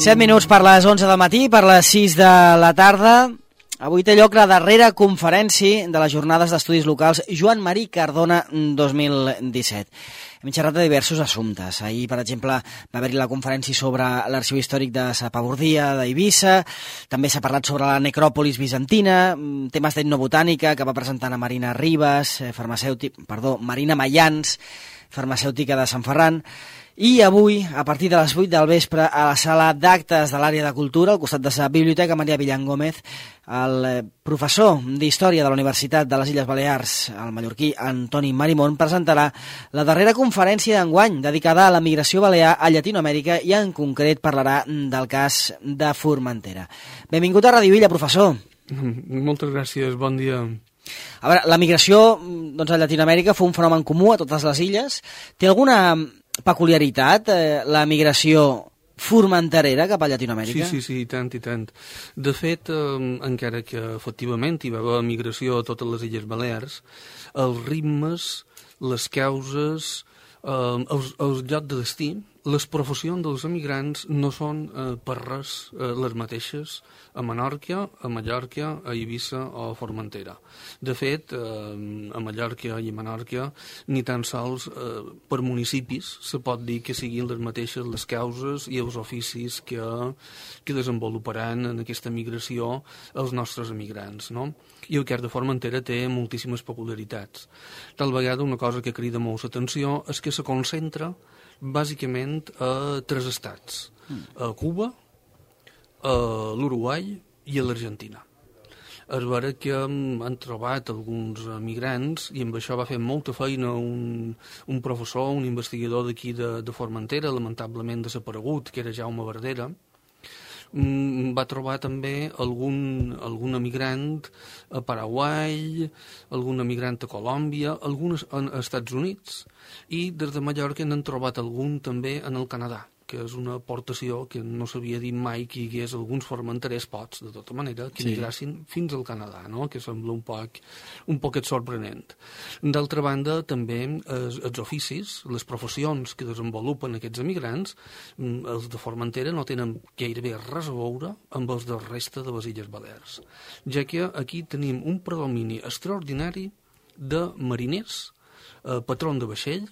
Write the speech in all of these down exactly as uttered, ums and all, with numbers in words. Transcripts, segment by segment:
set minuts per les onze del matí, per les sis de la tarda. Avui té lloc la darrera conferència de les jornades d'estudis locals Joan Marí Cardona dos mil disset. Hem xerrat de diversos assumptes. Ahir, per exemple, va haver-hi la conferència sobre l'arxiu històric de Sapabordia, d'Eivissa. També s'ha parlat sobre la necròpolis bizantina, temes d'etnobotànica que va presentar a Marina Ribas, farmacèutic, perdó, Marina Mayans, farmacèutica de Sant Ferran. I avui, a partir de les vuit del vespre, a la sala d'actes de l'àrea de cultura, al costat de la Biblioteca Maria Villan Gómez, el professor d'Història de la Universitat de les Illes Balears, el mallorquí Antoni Marimón, presentarà la darrera conferència d'enguany dedicada a la migració balear a Llatinoamèrica i en concret parlarà del cas de Formentera. Benvingut a Radio Illa, professor. Moltes gràcies, bon dia. A veure, la migració doncs, a Llatinoamèrica fou un fenomen comú a totes les illes. Té alguna peculiaritat, eh, la migració formenterera cap a Llatinoamèrica? Sí, sí, sí, i tant, i tant. De fet, eh, encara que efectivament hi va haver migració a totes les Illes Balears, els ritmes, les causes, eh, els, els llocs de destí, les professions dels emigrants no són eh, per res eh, les mateixes a Menorca, a Mallorca, a Eivissa o a Formentera. De fet, eh, a Mallorca i a Menorca ni tan sols eh, per municipis se pot dir que siguin les mateixes les causes i els oficis que, que desenvoluparan en aquesta migració els nostres emigrants, no? I el cas de Formentera té moltíssimes peculiaritats. Tal vegada una cosa que crida molt l'atenció és que se concentra bàsicament a tres estats, a Cuba, a l'Uruguai i a l'Argentina. És vera que han trobat alguns migrants i amb això va fer molta feina un, un professor, un investigador d'aquí de, de Formentera, lamentablement desaparegut, que era Jaume Verdera. Va trobar també algun, algun emigrant a Paraguai, algun emigrant a Colòmbia, alguns als Estats Units, i des de Mallorca n'han trobat algun també en el Canadà, que és una aportació que no s'havia dit mai que hi hagués alguns formenterers pots, de tota manera, que migressin sí. fins al Canadà, no? Que sembla un poc, un poquet sorprenent. D'altra banda, també els, els oficis, les professions que desenvolupen aquests emigrants, els de Formentera no tenen gairebé res a veure amb els de resta de les Illes Balears, ja que aquí tenim un predomini extraordinari de mariners, eh, patrons de vaixell,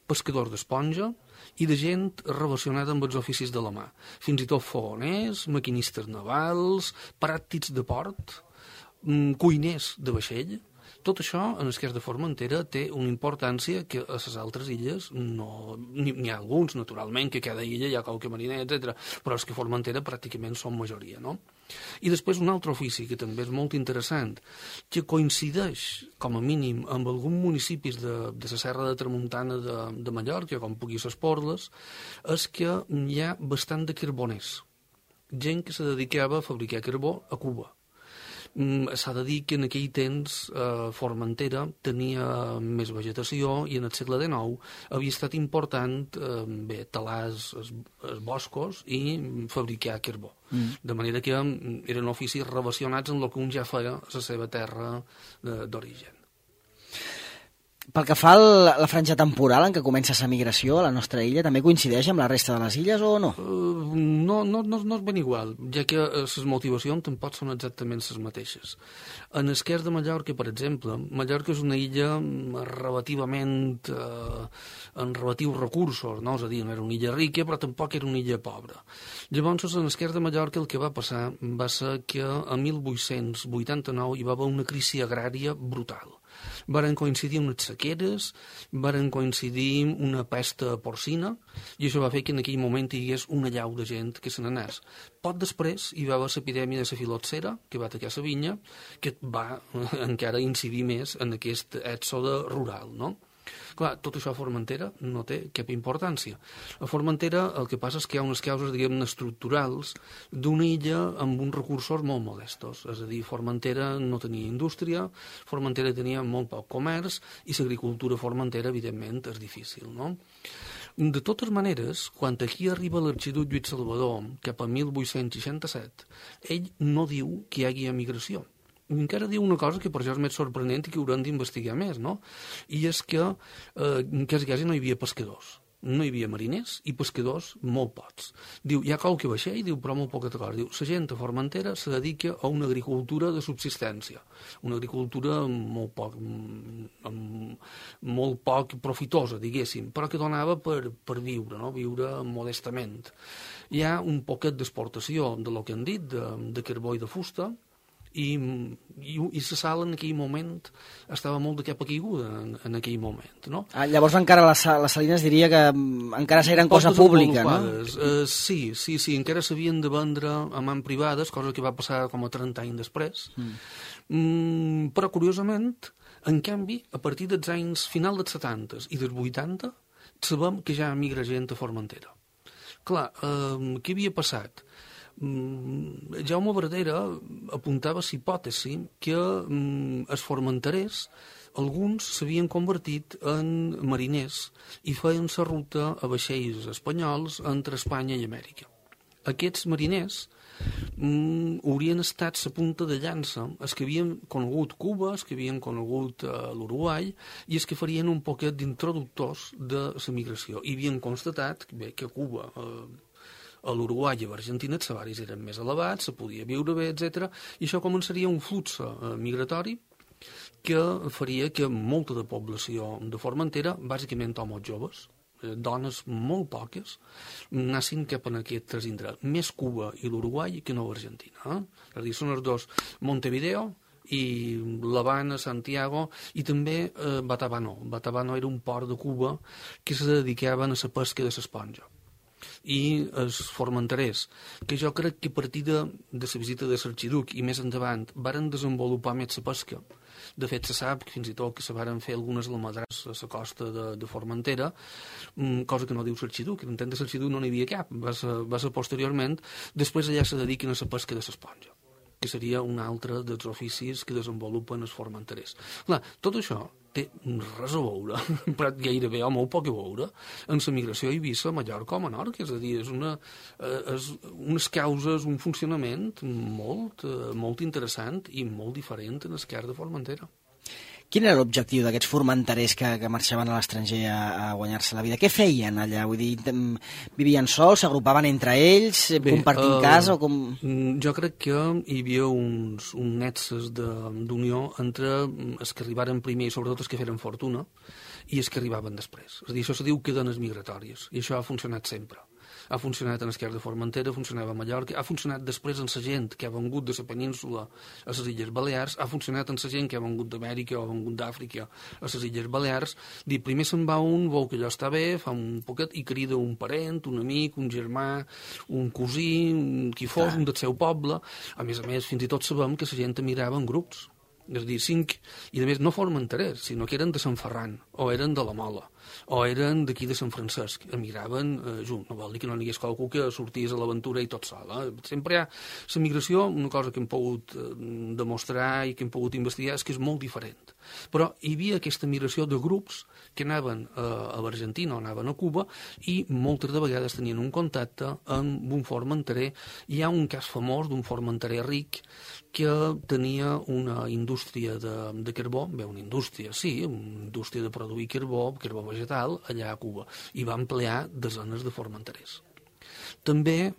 pescadors d'esponja, i de gent relacionada amb els oficis de la mà. Fins i tot fogoners, maquinistes navals, pràctics de port, cuiners de vaixell. Tot això, en el cas de Formentera, té una importància que a les altres illes no... N'hi ha alguns, naturalment, que a cada illa hi ha qualque mariner, etcètera, però és que Formentera pràcticament són majoria, no? I després un altre ofici que també és molt interessant, que coincideix, com a mínim, amb alguns municipis de, de la Serra de Tramuntana de, de Mallorca, com pugui ser Esporles, és que hi ha bastant de carboners. Gent que se dedicava a fabricar carbó a Cuba. S'ha de dir que en aquell temps eh, Formentera tenia més vegetació i en el segle dinou havia estat important eh, bé, talar els, els boscos i fabricar carbó. Mm. De manera que eren oficis relacionats amb el que un ja feia a la seva terra d'origen. Pel que fa a la franja temporal en què comença la migració a la nostra illa, també coincideix amb la resta de les illes o no? Uh, no, no, no, no és ben igual, ja que les motivacions tampoc són exactament les mateixes. En el cas de Mallorca, per exemple, Mallorca és una illa relativament uh, en relatius recursos, no? És a dir, no era una illa rica, però tampoc era una illa pobra. Llavors, en el cas de Mallorca, el que va passar va ser que a mil vuit-cents vuitanta-nou hi va haver una crisi agrària brutal. Varen coincidir unes sequeres, varen coincidir una pesta porcina, i això va fer que en aquell moment hi hagués una llau de gent que se n'anés. Poc després hi va haver l'epidèmia de la filoxera, que va atacar la vinya, que va encara incidir més en aquest èxode rural, no? Clar, tot això a Formentera no té cap importància. A Formentera el que passa és que hi ha unes causes, diguem-ne, estructurals d'una illa amb uns recursos molt modestos. És a dir, Formentera no tenia indústria, Formentera tenia molt poc comerç i l'agricultura a Formentera, evidentment, és difícil, no? De totes maneres, quan aquí arriba l'arxiduc Lluís Salvador, cap a mil vuit-cents seixanta-set, ell no diu que hi hagi emigració. Encara diu una cosa que per això és més sorprenent i que haurem d'investigar més, no? I és que, eh, quasi, quasi no hi havia pescadors. no hi havia mariners, i pescadors molt pocs. Diu, hi ha qualque vaixell, diu, però molt poca cosa. Diu, la gent a Formentera se dedica a una agricultura de subsistència, una agricultura molt poc, molt poc profitosa, diguéssim, però que donava per, per viure, no? Viure modestament. Hi ha un poquet d'exportació de lo que han dit, de, de carbó i de fusta, i, i, i la sal en aquell moment estava molt de capa caiguda en, en aquell moment, no? Ah, llavors encara les, les salines diria que encara eren cosa pública, no? Uh, sí, sí, sí, encara s'havien de vendre a mans privades, cosa que va passar com a trenta anys després. Mm. Mm, però, curiosament, en canvi, a partir dels anys final dels setanta i dels vuitanta, sabem que ja migra gent a Formentera. Clar, uh, què havia passat? Mm, Jaume Verdera apuntava la hipòtesi que mm, els formenterers, alguns s'havien convertit en mariners i feien la ruta a vaixells espanyols entre Espanya i Amèrica. Aquests mariners mm, haurien estat la punta de llança, els que havien conegut Cuba, els que havien conegut eh, l'Uruguai, i els que farien un poquet d'introductors de la migració. I havien constatat bé, que Cuba... Eh, a l'Uruguai i a l'Argentina els salaris eren més elevats, se podia viure bé, etcètera, i això començaria un flux eh, migratori que faria que molta de població de Formentera, bàsicament homes joves, eh, dones molt poques, anessin cap en aquests indrets, més Cuba i l'Uruguai que no l'Argentina. Eh? És a dir, són els dos, Montevideo i l'Havana, Santiago, i també eh, Batabano. Batabano era un port de Cuba que se dedicaven a la pesca de l'esponja. I els formenterers, que jo crec que a partir de, de la visita de l'Arxiduc i més endavant varen desenvolupar més la pesca. De fet, se sap que fins i tot que se varen fer algunes almadrars a la costa de, de Formentera, cosa que no diu l'Arxiduc, en temps de l'Arxiduc no n'hi havia cap, va ser, va ser posteriorment, després allà se dediquen a la pesca de l'esponja, que seria un altre dels oficis que desenvolupen els formenterers. Clar, tot això té res a veure, però gairebé o molt poc a veure, en la migració a Eivissa, a Mallorca o a Menorca. És a dir, és, una, és unes causes, un funcionament molt, molt interessant i molt diferent en l'esquerra de Formentera. Quin era l'objectiu d'aquests formenterers que, que marxaven a l'estranger a, a guanyar-se la vida? Què feien allà? Vull dir, vivien sols, s'agrupaven entre ells, Bé, compartint uh, casa o com...? Jo crec que hi havia uns, uns nexes d'unió entre els que arribaren primer i sobretot els que feren fortuna i els que arribaven després. És a dir, això se diu cadenes migratòries i això ha funcionat sempre. Ha funcionat en l'esquerra de Formentera, funcionava a Mallorca, ha funcionat després en la gent que ha vengut de la península a les Illes Balears, ha funcionat en la gent que ha vengut d'Amèrica o ha vengut d'Àfrica a les Illes Balears. Dir, primer se'n va un, veu que allò està bé, fa un poquet i crida un parent, un amic, un germà, un cosí, un qui fos, un del seu poble. A més a més, fins i tot sabem que la gent emigrava en grups. És a dir, cinc, i a més no formenterers, sinó que eren de Sant Ferran, o eren de la Mola, o eren d'aquí de Sant Francesc, emigraven eh, junt. No vol dir que no n'hi hagués qualcú que sortís a l'aventura i tot sol. Eh? Sempre hi ha la migració, una cosa que hem pogut eh, demostrar i que hem pogut investigar, és que és molt diferent. Però hi havia aquesta migració de grups que anaven eh, a l'Argentina o anaven a Cuba i moltes de vegades tenien un contacte amb un formenterer. Hi ha un cas famós d'un formenterer ric que tenia una indústria de, de carbó, bé, una indústria, sí, una indústria de produir carbó, carbó vegetal, allà a Cuba, i va emplear desenes de formenterers. També,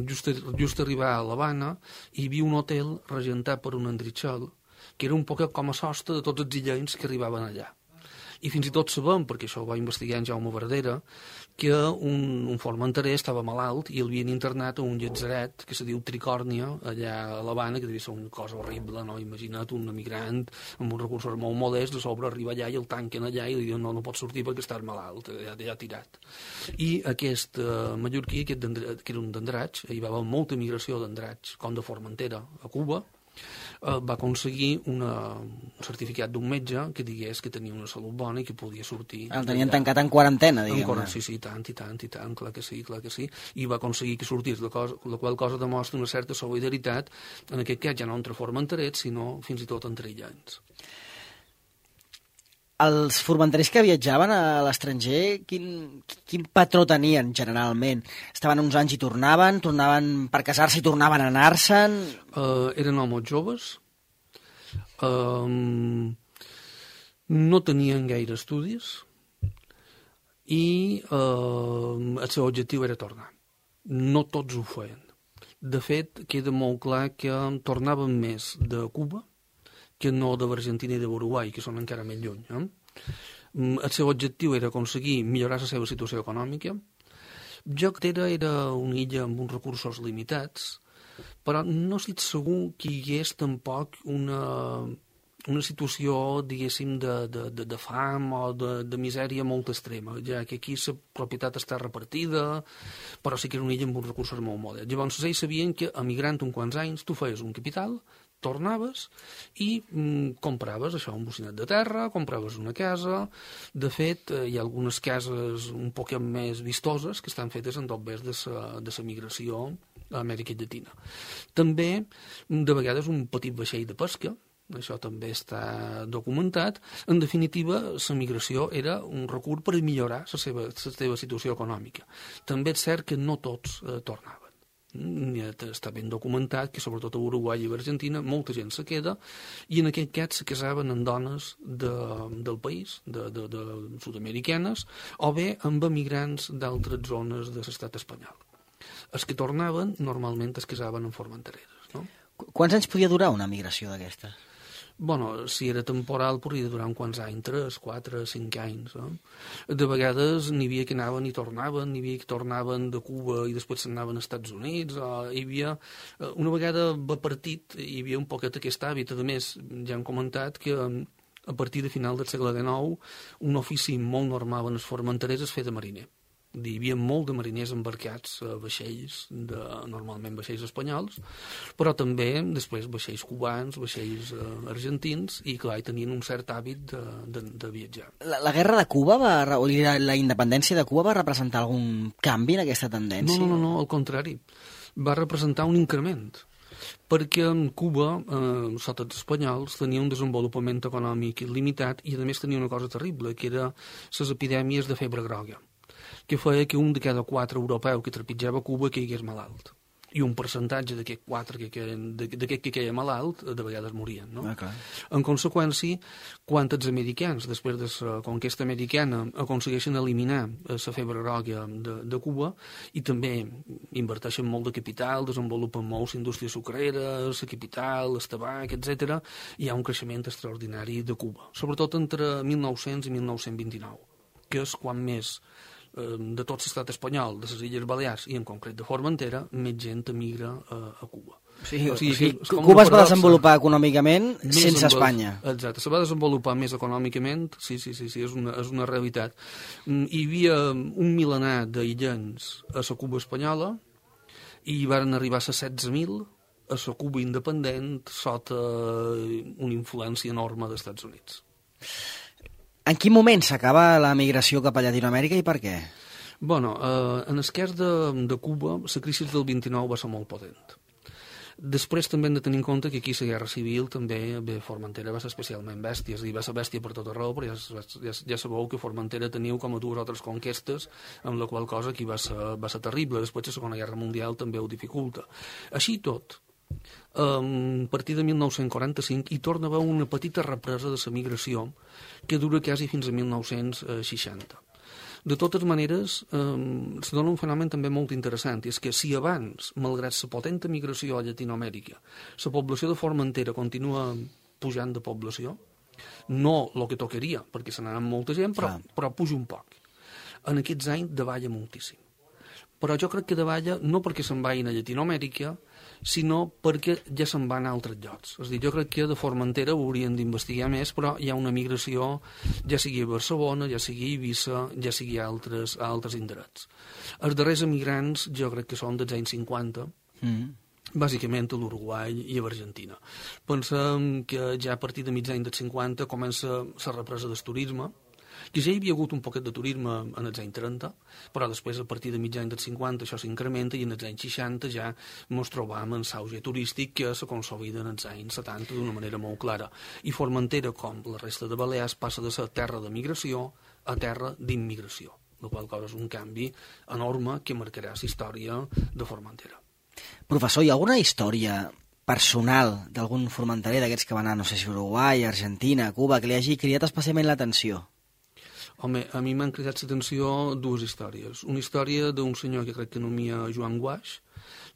just, just arribar a l'Havana, hi havia un hotel regentat per un Andritxol, que era un poc com a sostre de tots els illencs que arribaven allà. I fins i tot sabem, perquè això ho va investigar en Jaume Verdera, que un, un formenterer estava malalt i el havien internat a un llatzeret que se diu Tricòrnia, allà a l'Havana, que devia ser una cosa horrible, no? Imagina't un emigrant amb uns recursos molt modests, de sobre arriba allà i el tanquen allà i li diuen no, no pots sortir perquè estàs malalt, ja, ja tirat. I aquest uh, mallorquí, aquest que era un d'Andratx, hi va haver molta migració d'Andratx, com de Formentera a Cuba, Uh, va aconseguir una, un certificat d'un metge que digués que tenia una salut bona i que podia sortir. El tenien tancat en quarantena, diguem-ne. Quarant, sí, sí, tant i tant i tant, clar que sí, clar que sí. I va aconseguir que sortís, la, cosa, la qual cosa demostra una certa solidaritat, en aquest cas ja no entre formenterets, sinó fins i tot entre illants. Els formenterers que viatjaven a l'estranger, quin, quin patró tenien generalment? Estaven uns anys i tornaven, tornaven per casar-se i tornaven a anar-se'n? Uh, eren homes joves, uh, no tenien gaire estudis i eh, el seu objectiu era tornar. No tots ho feien. De fet, queda molt clar que tornaven més de Cuba que no de l'Argentina i de l'Uruguai, que són encara més lluny. Eh? El seu objectiu era aconseguir millorar la seva situació econòmica. Jo crec que era una illa amb uns recursos limitats, però no estic segur que hi hagués tampoc una, una situació, diguéssim, de, de, de, de fam o de, de misèria molt extrema, ja que aquí la propietat està repartida, però sí que era una illa amb uns recursos molt models. Llavors, ells sabien que emigrant uns quants anys tu feies un capital, tornaves i mm, compraves això, un bocinet de terra, compraves una casa. De fet, eh, hi ha algunes cases un poc més vistoses que estan fetes en tot de la migració a Amèrica Llatina. També, de vegades, un petit vaixell de pesca, això també està documentat. En definitiva, la migració era un recurs per millorar la seva, la seva situació econòmica. També és cert que no tots eh, tornaven. Està ben documentat que sobretot a Uruguai i a Argentina molta gent se queda i en aquest cas se casaven amb dones de, del país, de, de, de sud-americanes, o bé amb emigrants d'altres zones de l'estat espanyol. Els que tornaven normalment es casaven en formentereres. No? Quants anys podia durar una migració d'aquesta? Bueno, si era temporal podria durar uns quants anys, tres, quatre, cinc anys. Eh? De vegades n'hi havia que anaven i tornaven, n'hi havia que tornaven de Cuba i després s'anaven als Estats Units. O hi havia, una vegada va partit, hi havia un poquet aquest hàbit. A més, ja hem comentat que a partir de final del segle dinou un ofici molt normal en les formenteres es feia de mariner. Hi havia molt de mariners embarcats a vaixells, de, normalment vaixells espanyols, però també després vaixells cubans, vaixells eh, argentins, i clar, tenien un cert hàbit de, de, de viatjar. La, la guerra de Cuba, va, o la, la independència de Cuba va representar algun canvi en aquesta tendència? No, no, no, no, al contrari. Va representar un increment, perquè Cuba, eh, sota els espanyols, tenia un desenvolupament econòmic il·limitat i a més tenia una cosa terrible, que era les epidèmies de febre groga, que feia que un de cada quatre europeus que trepitjava Cuba caigués malalt. I un percentatge d'aquests quatre que queien, d'aquest que queia malalt, de vegades morien. No? Ah, en conseqüència, quan els americans, després de la conquesta americana, aconsegueixen eliminar la febre groga de, de Cuba i també inverteixen molt de capital, desenvolupen moltes indústries sucreres, la capital, el tabac, etcètera, hi ha un creixement extraordinari de Cuba, sobretot entre mil nou-cents i mil nou-cents vint-i-nou, que és quan més de tot l'estat espanyol, de les Illes Balears i en concret de Formentera, més gent emigra a, a Cuba. Sí, o sigui, o sigui, Cuba es va desenvolupar econòmicament sense Espanya. Exacte, se va desenvolupar més econòmicament, sí, sí, sí, sí és, una, és una realitat. Hi havia un milenar d'aïllants a la Cuba espanyola i hi van arribar a setze mil a la Cuba independent sota una influència enorme dels Estats Units. En quin moment s'acaba la migració cap a Llatinoamèrica i per què? Bueno, eh, en el cas de, de Cuba, la crisi del vint-i-nou va ser molt potent. Després també hem de tenir en compte que aquí la guerra civil també, bé, Formentera va ser especialment bèstia, és a dir, va ser bèstia per tot arreu, però ja, ja, ja sabeu que Formentera teniu com a dues altres conquestes, amb la qual cosa aquí va ser, va ser terrible. Després la Segona Guerra Mundial també ho dificulta. Així tot, Um, a partir de mil nou-cents quaranta-cinc hi torna a haver una petita represa de la migració que dura quasi fins a mil nou-cents seixanta. De totes maneres, um, se dona un fenomen també molt interessant, i és que si abans, malgrat la potenta migració a Llatinoamèrica, la població de Formentera continua pujant de població, no el que tocaria, perquè se n'anà molta gent, però, però puja un poc. En aquests anys davalla moltíssim. Però jo crec que davalla no perquè se'n vagin a Llatinoamèrica, sinó perquè ja se'n van a altres llocs. És a dir, jo crec que de Formentera ho haurien d'investigar més, però hi ha una migració, ja sigui a Barcelona, ja sigui a Eivissa, ja sigui a altres, a altres indrets. Els darrers emigrants jo crec que són dels anys cinquanta, mm. bàsicament a l'Uruguai i a l'Argentina. Pensem que ja a partir de mig any dels cinquanta comença la represa del turisme, que ja hi havia hagut un poquet de turisme en els anys trenta, però després a partir de mig any dels cinquanta això s'incrementa i en els anys seixanta ja ens trobam en l'auge turístic que se consolida en els anys setanta d'una manera molt clara. I Formentera, com la resta de Balears, passa de ser terra de migració a terra d'immigració, la qual cosa és un canvi enorme que marcarà la història de Formentera. Professor, hi ha alguna història personal d'algun formenterer d'aquests que van anar, no sé si Uruguai, Argentina, Cuba, que li hagi cridat especialment l'atenció? Home, a mi m'han cridat l'atenció dues històries. Una història d'un senyor que crec que anomia Joan Guaix,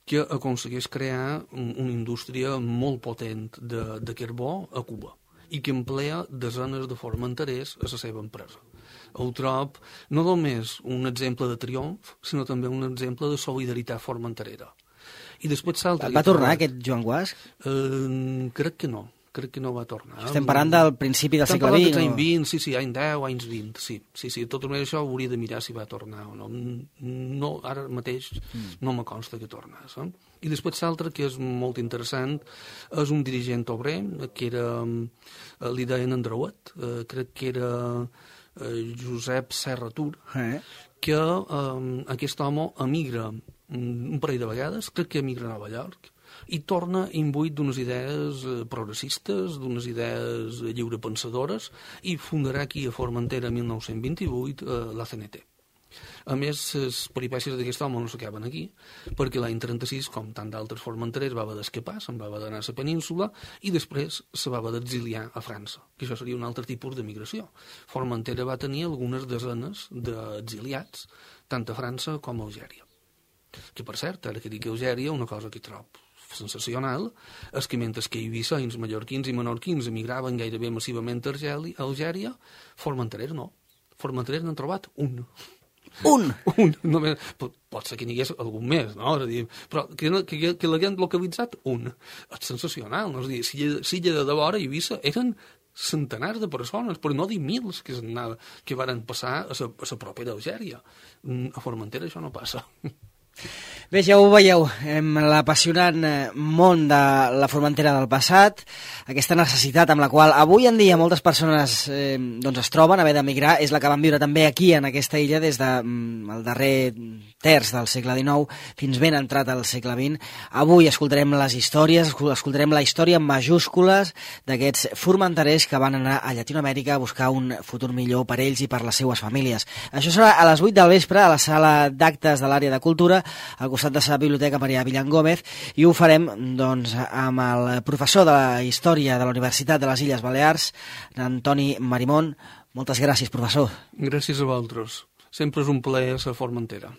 que aconsegueix crear una indústria molt potent de, de carbó a Cuba i que emplea desenes de formenterers a la seva empresa. Ho trob no només un exemple de triomf, sinó també un exemple de solidaritat formenterera. I després s'altre... Va tornar aquest Joan Guaix? Eh, crec que no. Crec que no va tornar. Estem parlant del principi del segle vint? Estem parlant dels anys vint, sí, sí, anys deu, anys vint, sí. Sí, sí, tot això ho hauria de mirar si va tornar o no. No, ara mateix mm. no me consta que tornés. Eh? I després l'altre, que és molt interessant, és un dirigent obrer, que era, li deien Andreuet, eh, crec que era eh, Josep Serra Tur, eh? que eh, aquest home emigra un parell de vegades, crec que emigra a Nova York, i torna imbuït d'unes idees progressistes, d'unes idees lliurepensadores, i fundarà aquí a Formentera mil nou-cents vint-i-vuit eh, la C N T. A més, les peripècies d'aquest home no s'acaben aquí, perquè l'any trenta-sis, com tant d'altres formenterers, va haver d'escapar, se'n va haver d'anar a la península, i després se va haver d'exiliar a França, que això seria un altre tipus de migració. Formentera va tenir algunes desenes d'exiliats, tant a França com a Algèria. Que, per cert, ara que dic Algèria, una cosa que trobo sensacional és que mentre que eivissens, mallorquins i menorquins emigraven gairebé massivament a Algèria, formenterers no. Formenterers n'han trobat un. Un? Un. Només, pot ser que n'hi hagués algun més, no? És a dir, però que, que, que l'haguem localitzat un. És sensacional, no? És a dir, si, si de devora a Eivissa eren centenars de persones, però no dir mils que, que varen passar a la, a la propera Algèria. A Formentera això no passa. Bé, ja ho veieu, l'apassionant món de la Formentera del passat, aquesta necessitat amb la qual avui en dia moltes persones eh, doncs es troben, haver d'emigrar, és la que van viure també aquí, en aquesta illa, des del de, darrer terç del segle dinou fins ben entrat al segle vint. Avui escoltarem les històries, escoltarem la història en majúscules d'aquests formenterers que van anar a Llatinoamèrica a buscar un futur millor per ells i per les seues famílies. Això serà a les vuit del vespre a la sala d'actes de l'àrea de cultura, al costat de la Biblioteca Maria Villan Gómez, i ho farem doncs, amb el professor de la Història de la Universitat de les Illes Balears, Antoni Marimón. Moltes gràcies, professor. Gràcies a vosaltres. Sempre és un plaer ser Formentera.